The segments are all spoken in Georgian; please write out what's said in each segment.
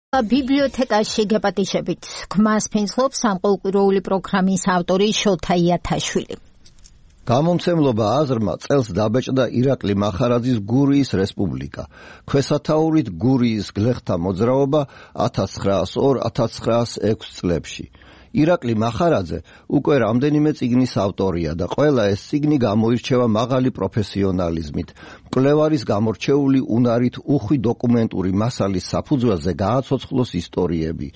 ბიბლიოთეკაში გეპატიჟებით ქმას ფინძლობს სამყუროური პროგრამის ავტორი შოთა იათაშვილი. გამომცემლობა აზრმა წელს დაბეჭდა ირაკლი მახარაძის გურიის რესპუბლიკა. ქვესათაურით გურიის გლეხთა მოძრაობა 1902-1906 წლებში. ირაკლი მახარაძე უკვე რამდენიმე წიგნის ავტორია და ყველა ეს წიგნი გამოირჩევა მაღალი პროფესიონალიზმით. მკვლევარის გამორჩეული უნარით უხვი დოკუმენტური მასალის საფუძველზე გააცოცხლოს ისტორიები,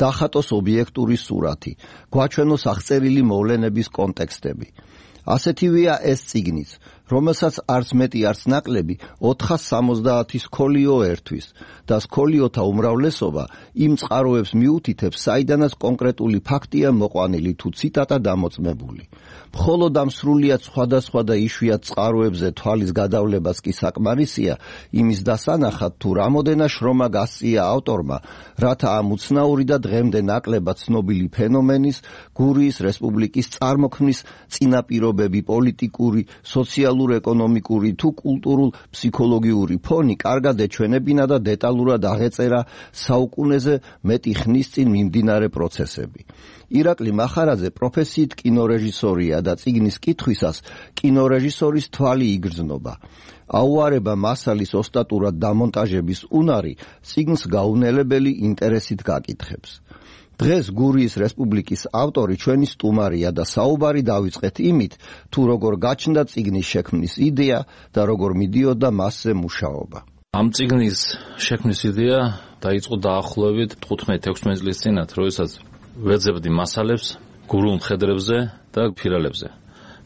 დახატოს ობიექტური სურათი, გვაჩვენოს აღწერილი მოვლენების კონტექსტები. ასეთივეა ეს წიგნიც, რომელსაც არც მეტი არც ნაკლები 470 სკოლიო ერთვის და სკოლიოთა უმრავლესობა იმ წყაროებს მიუთითებს, საიდანაც კონკრეტული ფაქტია მოყვანილი თუ ციტატა დამოწმებული. მხოლოდ ამ სრულიად სხვადასხვა და იშვიათ წყაროებზე თვალის გადავლებას კი საკმარისია იმის დასანახად, თუ რამოდენა შრომა გასწია ავტორმა, რათა ამ უცნაური და დღემდე ნაკლებად ცნობილი ფენომენის, გურიის რესპუბლიკის წარმოქმნის წინაპირობები, პოლიტიკური, სოციალურ-ეკონომიკური თუ კულტურულ-ფსიქოლოგიური ფონი კარგად ეჩვენებინა და დეტალურად აღეწერა საუკუნეზე მეტი ხნის წინ მიმდინარე პროცესები. ირაკლი მახარაძე პროფესიით კინორეჟისორია და წიგნის კითხვისას კინორეჟისორის თვალი იგრძნობა. აუარება მასალის ოსტატურად დამონტაჟების უნარი წიგნს გაუნელებელი ინტერესით გაკითხებს. დღეს გურიის რესპუბლიკის ავტორი ჩვენი სტუმარია და საუბარი დავიწყეთ იმით, თუ როგორ გაჩნდა წიგნის შექმნის იდეა და როგორ მიდიოდა მასზე მუშაობა. ამ წიგნის შექმნის იდეა დაიწყო დაახლოებით 15-16 წლის წინათ, როდესაც ვეძებდი მასალებს გურულ მხედრებზე და ფირალებზე.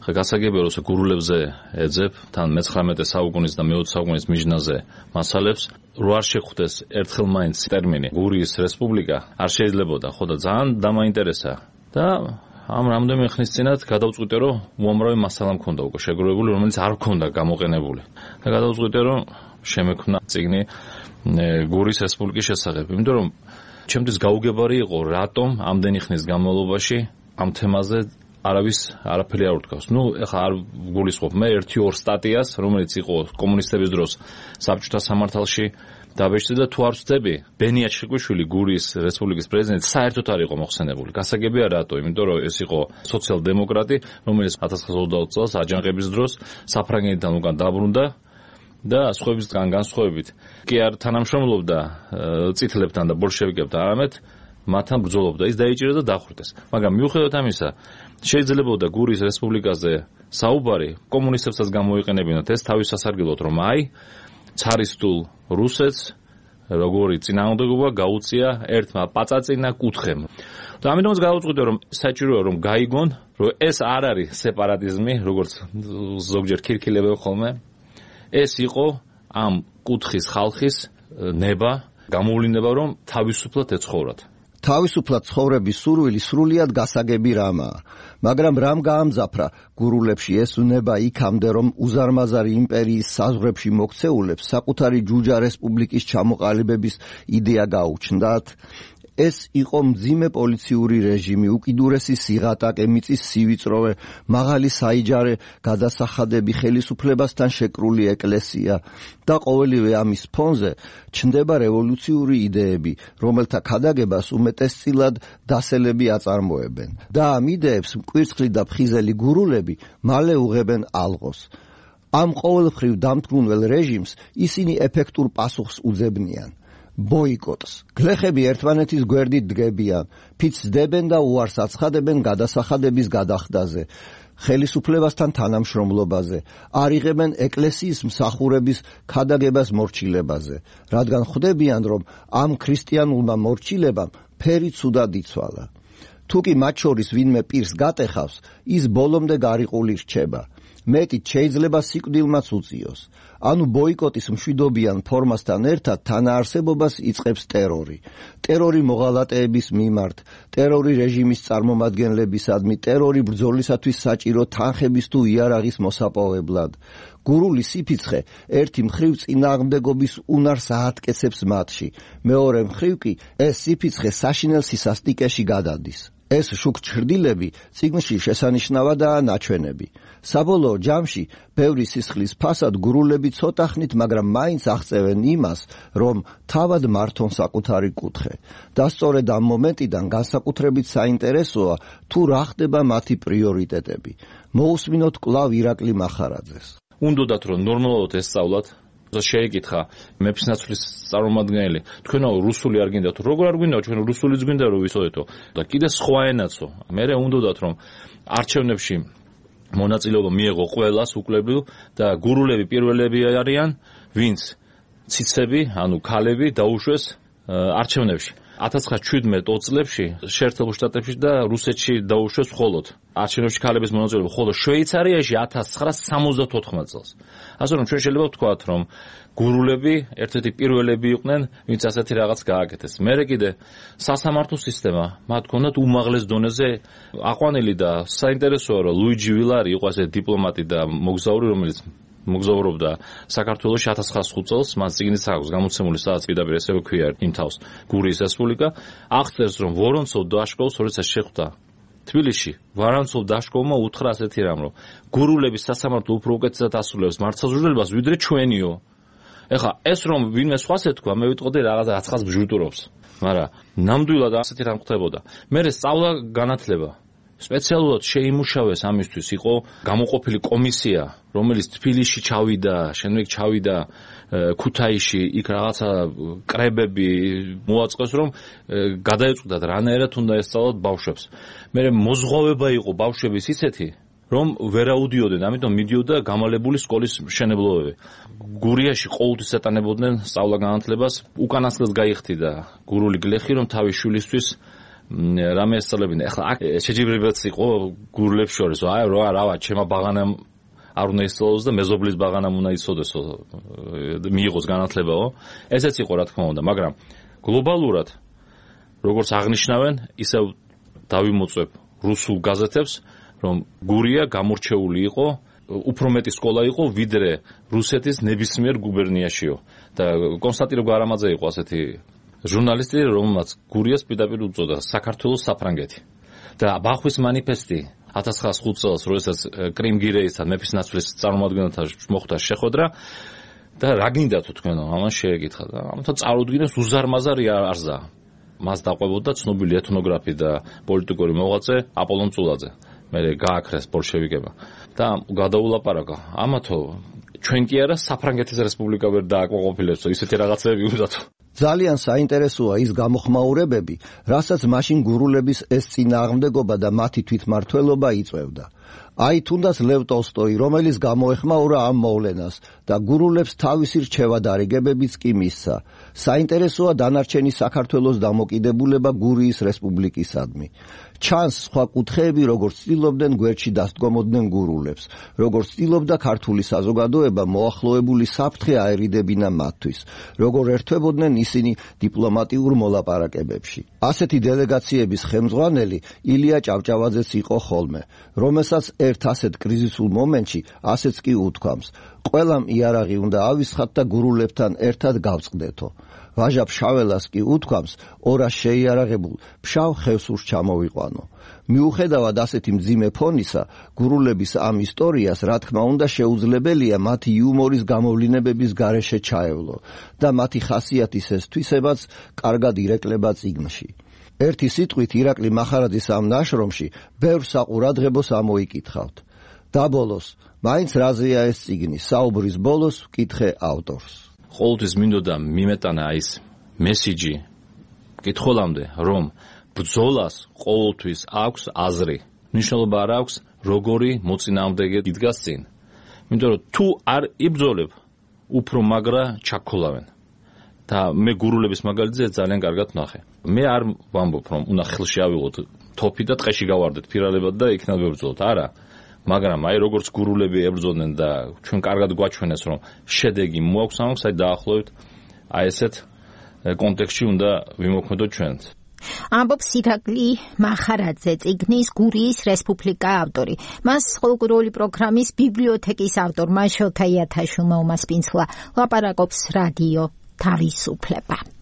ხა გასაგებია, რომ გურულებზე ეძებ თან მე-19 საუკუნის და მე-20 საუკუნის მიჯნაზე მასალებს, რო არ შეხვდეს ერთხელ მაინც ტერმინი გურიის რესპუბლიკა, არ შეიძლებოდა, ხო და ძალიან დამაინტერესა და ამ რამდენიმე ხნის წინათ გადავწყვიტე, რომ უამრავი მასალა მქონდა უკვე შეგროვებული, რომელიც არ მქონდა გამოყენებული. და გადავწყვიტე, რომ შემექმნა წიგნი გურიის რესპუბლიკის შესახებ, იმიტომ რომ ჩემთვის გაუგებარი იყო, რატომ ამდენი ხნის განმავლობაში ამ თემაზე არაფერი არ უთქვას. ეხლა არ გულისხმობ მე 1-2 სტატიას, რომელიც იყო კომუნისტების დროს საბჭოთა სამართალში დაბეჭდი და თუ არ ვწდები, ბენია ჩხიკვიშვილი, გურიის რესპუბლიკის პრეზიდენტი, საერთოდ არ იყო მოხსენებული. გასაგებია რატო? იმიტომ რომ ეს იყო სოციალ-დემოკრატი, რომელიც 1920 წელს აჯანყების დროს საფრანგეთიდან უკან დაბრუნდა და სხვებისგან განსხვავებით კი არ თანამშრომლობდა წითლებთან და ბოლშევიკებთან, არამედ მათთან ბრძოლობდა. ის დაიჭირა და დახვრიტეს. მაგრამ მიუხედავად ამისა, შეიძლებოდა გურიის რესპუბლიკაზე საუბარი კომუნისტებსაც გამოიყენებინათ ეს თავის სასარგებლოდ, რომ ცარისტულ რუსეთს როგორი წინააღმდეგობა გაუწია ერთმა პაწაწინა კუთხემ. და ამიტომაც გადავწყვიტე, რომ საჭიროა რომ გაიგონ, რომ ეს არ არის სეპარატიზმი, როგორც ზოგჯერ ქირქილებენ ხოლმე. ეს იყო ამ კუთხის ხალხის ნება, გამოვლინება, რომ თავისუფლად ეცხოვრათ. თავისუფლად ცხოვრების სურვილი სრულიად გასაგები რამაა, მაგრამ რამ გაამძაფრა გურულებში ეს უნება იქამდე, რომ უზარმაზარი იმპერიის საზღვრებში მოქცეულებს საკუთარი ჯუჯა რესპუბლიკის ჩამოყალიბების იდეა გაუჩნდათ? ეს იყო მძიმე პოლიციური რეჟიმი, უკიდურესი სიღატაკე, მიწის სივიწროვე, მაღალი საიჯარე გადასახადები, ხელისუფლებასთან შეკრული ეკლესია და ყოველივე ამის ფონზე ჩნდება რევოლუციური იდეები, რომელთა ქადაგებას უმეტესწილად დასელები აწარმოებენ. და ამ იდეებს მკვირცხლი და ფხიზელი გურულები მალე უღებენ ალღოს. ამ ყოველმხრივ დამთგუნველ რეჟიმს ისინი ეფექტურ პასუხს უძებნიან. ბოიკოტს. გლეხები ერთმანეთის გვერდით დგებიან, ფიცდებენ და უარს აცხადებენ გადასახადების გადახდაზე, ხელისუფლებასთან თანამშრომლობაზე, არ იღებენ ეკლესიის მსახურების ქადაგებას მორჩილებაზე, რადგან ხვდებიან, რომ ამ ქრისტიანულმა მორჩილებამ ფერი ცუდად იცვალა. თუკი მათ შორის ვინმე პირს გატეხავს, ის ბოლომდე გარიყული რჩება. მეტით შეიძლება სიკვდილმაც უწიოს. ანუ ბოიკოტის მშვიდობიან ფორმასთან ერთად თანაარსებობას იწყებს ტერორი. ტერორი მოღალატეების მიმართ, ტერორი რეჟიმის წარმომადგენლებისადმი, ტერორი ბრძოლისათვის საჭირო თანხების თუ იარაღის მოსაპოვებლად. გურული სიფიცხე ერთი მხრივ წინააღმდეგობის უნარს აატკეცებს მათში, მეორე მხრივ კი ეს სიფიცხე საშინელ სისასტიკეში გადადის. ეს შუქჩრდილები წიგნში შესანიშნავადაა ნაჩვენები. საბოლოო ჯამში ბევრი სისხლის ფასად გურულები ცოტა ხნით, მაგრამ მაინც აღწევენ იმას, რომ თავად მართონ საკუთარი კუთხე. და სწორედ ამ მომენტიდან განსაკუთრებით საინტერესოა თუ რა ხდება მათი პრიორიტეტები. მოусმინოთ კვლავ ირაკლი მახარაძეს. უნდათ რომ ნორმალურად ესწავლათ. შეეკითხა მეფისნაცვლის წარმომადგენელი, თქვენო რუსული არ გინდათ, როგორ არ გინდა, ჩვენ რუსულიც გვინდა რომ ვიცოდეთო და კიდე სხვა ენაცო. მერე უნდათ რომ არჩევნებში მონაწილეობა მიეღო ყველას უკლებილ და გურულები პირველები არიან, ვინც ციცები, ანუ ქალები დაუშვეს არჩევნებში. 1917 წლებში შეერთებულ შტატებში და რუსეთში დაუშვეს მხოლოდ არჩევნებში ქალების მონაწილეობა, ხოლო შვეიცარიაში 1974 წელს. ასე რომ ჩვენ შეიძლება ვთქვათ, რომ გურულები ერთ-ერთი პირველები იყვნენ, ვინც ასეთი რაღაც გააკეთეს. მერე კიდე სასამართლო სისტემა, მათ ჰქონდათ უმაღლეს დონეზე აყვანილი და საინტერესოა, რომ ლუიჯი ვილარი იყო ასე დიპლომატი და მოგზაური, რომელიც მოგზაურობდა საქართველოში 1905 წელს, მას წიგნიც აქვს გამოცემული, სადაც პირდაპირ ესე ქვია იმ თავს გურიის რესპუბლიკა, აღწერს, რომ ვორონცოვ დაშკოვს როდესაც შეხვდა თბილისში, ვორონცოვ დაშკოვმა უთხრა ასეთი რამ, რომ გურულების სასამართლო უფრო უკეთესად ასრულებს მართლმსაჯულებას, ვიდრე ჩვენიო. ეხლა ეს რომ ვინმე სხვას ეთქვა, მე ვიტყოდი რაღაცა აცხას ბჟუტურობს, მაგრამ ნამდვილად ასეთი რამ ხდებოდა. მერე სწავლა განათლება სპეციალურად შეიმუშავეს ამისთვის, იყო გამოყოფილი კომისია, რომელიც თბილისში ჩავიდა, შემდეგ ჩავიდა ქუთაისში, იქ რაღაცა კრებები მოაწყეს, რომ გადაეწყვიტათ რანაირად უნდა ესწავლათ ბავშვებს. მერე მოზღვავება იყო ბავშვების ისეთი, რომ ვერაუდიოდნენ, ამიტომ მიდიოდა გამალებული სკოლის მშენებლობები. გურიაში ყოველთვის ეტანებოდნენ სწავლა-განათლებას, უკანასკნელს გაიხდიდა გურული გლეხი, რომ თავის შვილისთვის რამე ესწავლებინა. ეხლა აქ შეჯიბრებაც იყო გურულებს შორის, აი რა, ჩემა ბაღანამ არ უნდა ისწავლოს და მეზობლის ბაღანამ უნდა იცოდესო, მიიღოს განათლებაო. ესეც იყო რა თქმა უნდა, მაგრამ გლობალურად როგორც აღნიშნავენ, ისევ დავიმოწვევ რუსულ გაზეთებს, რომ გურია გამორჩეული იყო, უფრო მეტი სკოლა იყო, ვიდრე რუსეთის ნებისმიერ გუბერნიაშიო. და კონსტანტინე გვარამაძე იყო ასეთი ჟურნალისტი, რომელმაც გურიას პირდაპირ უწოდა საქართველოს საფრანგეთი. და ბახვის манифესტი 1905 წელს, როდესაც კრიმგირეისთან მეფისნაცვლის წარმომადგენელთან მოხდა შეხვედრა და რა გინდათო თქვენო, ამან შეეკითხა და ამიტომ წარუდგინეს უზარმაზარი არზა. მას დაყვებოდა ცნობილი ეთნოგრაფი და პოლიტიკური მოღვაწე აპოლონ წულაძე. მერე გააქრეს ბოლშევიკებმა და გადაულაპარაკა. ამათო ჩვენ კი არა საფრანგეთის რესპუბლიკა ვერ დააკმაყოფილებსო, ისეთი რაღაცები უნდათო. ძალიან საინტერესოა ის გამოხმაურებები, რასაც მაშინ გურულების ეს წინააღმდეგობა და მათი თვითმმართველობა იწვევდა. აი თუნდაც ლევ ტოლსტოი, რომელიც გამოეხმაურა ამ მოვლენას და გურულებს თავისი რჩევა დარიგებებიც კი მისცა. საინტერესოა დანარჩენი საქართველოს დამოკიდებულება გურიის რესპუბლიკისადმი. ჩანს სხვა კუთხეები, როგორც ცდილობდნენ გვერდში დასდგომოდნენ გურულებს, როგორც ცდილობდა ქართული საზოგადოება მოახლოებული საფრთხე აერიდებინა მათთვის, როგორ ერთვებოდნენ ისინი დიპლომატიურ მოლაპარაკებებში. ასეთი დელეგაციების ხელმძღვანელი ილია ჭავჭავაძეც იყო ხოლმე, რომელსაც ერთ ასეთ კრიზისულ მომენტში ასეც კი უთქვამს: ყველამ იარაღი უნდა ავისხათ და გურულებთან ერთად გავწყდეთო. ვაჟა ფშაველას კი უთქვამს, ორას შეიარაღებულ ფშავ ხევსურს ჩამოვიყვანო. მიუხედავად ასეთი მძიმე ფონისა, გურულების ამ ისტორიას რა თქმა უნდა შეუძლებელია მათი იუმორის გამოვლინებების გარეშე ჩაევლო და მათი ხასიათის ეს თვისებაც კარგად ირეკლება წიგნში. ერთი სიტყვით ირაკლი მახარაძის ამ ნაშრომში ბევრ საყურადღებოს ამოიკითხავთ. და ბოლოს, მაინც რაზეა ეს წიგნი, საუბრის ბოლოს ვკითხე ავტორს. ყოველთვის მინდოდა მიმეტანა ის მესიჯი კითხულამდე, რომ ბრძოლას ყოველთვის აქვს აზრი. მნიშვნელობა არ აქვს, როგორი მოწინააღმდეგე იდგას წინ. იმიტომ რომ თუ არ იბრძოლებ, უფრო მაგრა ჩაქოლავენ. და მე გურულების მაგალითზე ძალიან კარგად ვნახე. მე არ ვამბობ, რომ უნდა ხელში ავიღოთ თოფი და ტყეში გავარდეთ ფირალებად და იქნებ ვებრძოლოთ. არა. მაგრამ აი როგორც გურულები ებრძოდნენ და ჩვენ კარგად გვაჩვენეს, რომ შედეგი მოაქვს ამას, აი დაახლოებით აი ესეთ კონტექსტში უნდა ვიმოქმედოთ ჩვენც. ამბობს ირაკლი მახარაძე, წიგნის გურიის რესპუბლიკა ავტორი. მას ხოლკლორული პროგრამის ბიბლიოთეკის ავტორმა შოთა იათაშვილმა უმასპინძლა. ლაპარაკობს რადიო თავისუფლება.